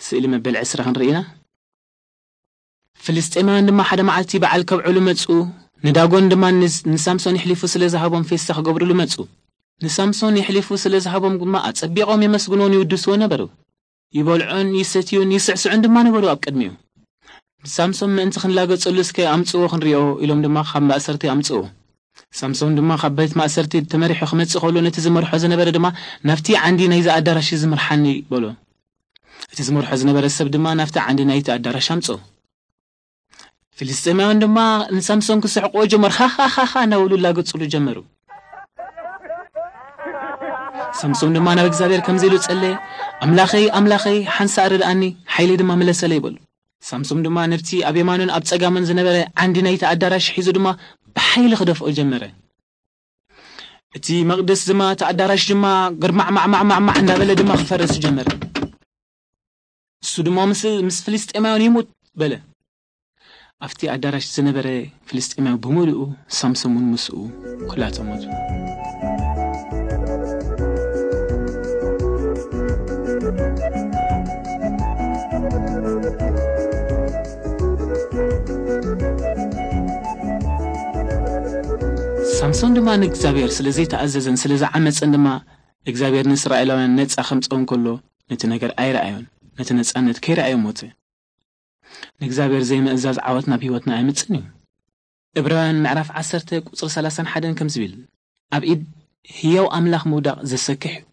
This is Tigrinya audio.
ስእሊ መበል ዕስራ ክንርኢ ኢና። ፍልስጤማውያን ድማ ሓደ መዓልቲ በዓል ከብዕሉ መጹ። ንዳጎን ድማ ንስ-፣ ንሳምሶን ይሕሊፉ ስለ ዝሃቦም ፌስታ ክገብርሉ መጹ። ንሳምሶን ይሕሊፉ ስለ ዝሃቦም ድማ ኣጸቢቖም የመስግንዎን ይውድስዎ ነበሩ። ይበልዑን ይሰትዩን ይስዕስዑን ድማ ነበሩ ኣብ ቅድሚኡ። ንሳምሶን ምእንቲ ክንላገጸሉ እስከ ኣምጽዎ ክንሪኦ ኢሎም ድማ ካብ ማእሰርቲ ኣምጽዎ። ሳምሶን ድማ ካብ ቤት ማእሰርቲ ተመሪሑ ክመጽእ ከሎ ነቲ ዝመርሖ ዝነበረ ድማ ናብቲ ዓንዲ ናይዚ ኣዳራሽ ዝምርሓኒ በሎ። እቲ ዝመርሖ ዝነበረ ሰብ ድማ ናብቲ ዓንዲ ናይቲ ኣዳራሽ ኣምጽኦ። ፍልስጤማውያን ድማ ንሳምሶን ክስሕቅዎ ጀመሩ። ሃሃሃሃ እናበሉ ላገጽሉ ጀመሩ። ሳምሶን ድማ ናብ እግዚኣብሔር ከምዚ ኢሉ ጸለየ፣ ኣምላኸይ ኣምላኸይ ሓንሳእ ርድኣኒ፣ ሓይለይ ድማ ምለሰለይ በሉ። ሳምሶን ድማ ነብቲ ኣብ የማኑን ኣብ ጸጋሙን ዝነበረ ዓንዲ ናይቲ ኣዳራሽ ሒዙ ድማ ብሓይሊ ክደፍኦ ጀመረ። እቲ መቕደስ ድማ እቲ ኣዳራሽ ድማ ግርማዕማዕማዕማዕ እንዳበለ ድማ ክፈርስ ጀመረ። እሱ ድማ ምስ ምስ ፍልስጤማውያን ይሙት በለ። ኣብቲ ኣዳራሽ ዝነበረ ፍልስጤማዊ ብምሉኡ ሳምሶን እውን ምስኡ ኩላቶም ሞቱ። ሳምሶን ድማ ንእግዚኣብሔር ስለ ዘይተኣዘዘን ስለ ዝዓመፀን ድማ እግዚኣብሔር ንእስራኤላውያን ነፃ ከምፀኦም ከሎ ነቲ ነገር ኣይረኣዮን፣ ነቲ ነፃነት ከይረኣዮ ሞተ። ንእግዚኣብሔር ዘይምእዛዝ ዓወት ናብ ህይወትና ኣይምፅን እዩ። ዕብራውያን ምዕራፍ ዓሰርተ ቁፅሪ ሰላሳን ሓደን ከም ዝብል ኣብ ኢድ ህያው ኣምላኽ ምውዳቕ ዘሰክሕ እዩ።